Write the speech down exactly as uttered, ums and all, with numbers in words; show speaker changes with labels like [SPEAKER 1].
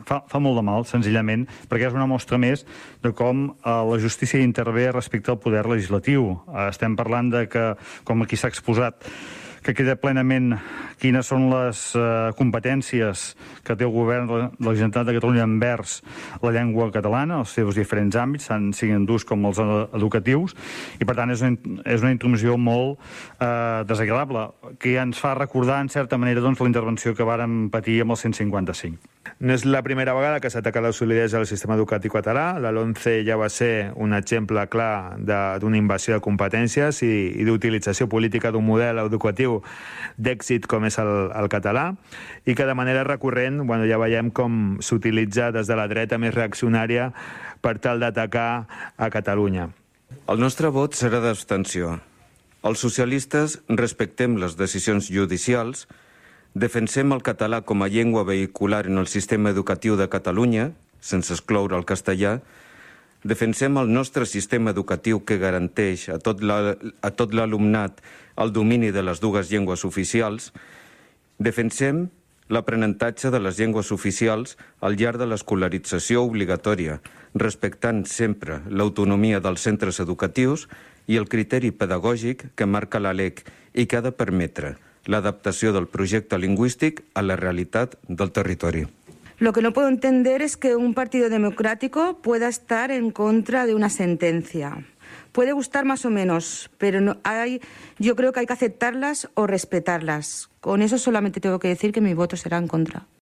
[SPEAKER 1] fa, fa molt de mal, senzillament, perquè és una mostra més de com eh, la justícia intervé respecte al poder legislatiu. Eh, estem parlant de que, com aquí s'ha exposat, que queda plenament quines són les eh, competències que té el govern de la Generalitat de Catalunya envers la llengua catalana, els seus diferents àmbits, tant siguin d'ús com els educatius, i per tant és una, és una intromissió molt eh, desagradable, que ens fa recordar en certa manera doncs, la intervenció que vàrem patir amb el cent cinquanta-cinc.
[SPEAKER 2] No és la primera vegada que s'ataca la solidesa del sistema educatiu català. La LOMCE ja va ser un exemple clar d'una invasió de competències i, i d'utilització política d'un model educatiu d'èxit com és el, el català, i que de manera recurrent bueno, ja veiem com s'utilitza des de la dreta més reaccionària per tal d'atacar a Catalunya.
[SPEAKER 3] El nostre vot serà d'abstenció. Els socialistes respectem les decisions judicials, defensem el català com a llengua vehicular en el sistema educatiu de Catalunya, sense excloure el castellà, defensem el nostre sistema educatiu que garanteix a tot l'alumnat el domini de les dues llengües oficials, defensem l'aprenentatge de les llengües oficials al llarg de l'escolarització obligatòria, respectant sempre l'autonomia dels centres educatius i el criteri pedagògic que marca la LEC i que ha de permetre l'adaptació del projecte lingüístic a la realitat del territori.
[SPEAKER 4] Lo que no puedo entender es que un partido democrático pueda estar en contra de una sentencia. Puede gustar más o menos, pero no hay, yo creo que hay que aceptarlas o respetarlas. Con eso solamente tengo que decir que mi voto será en contra.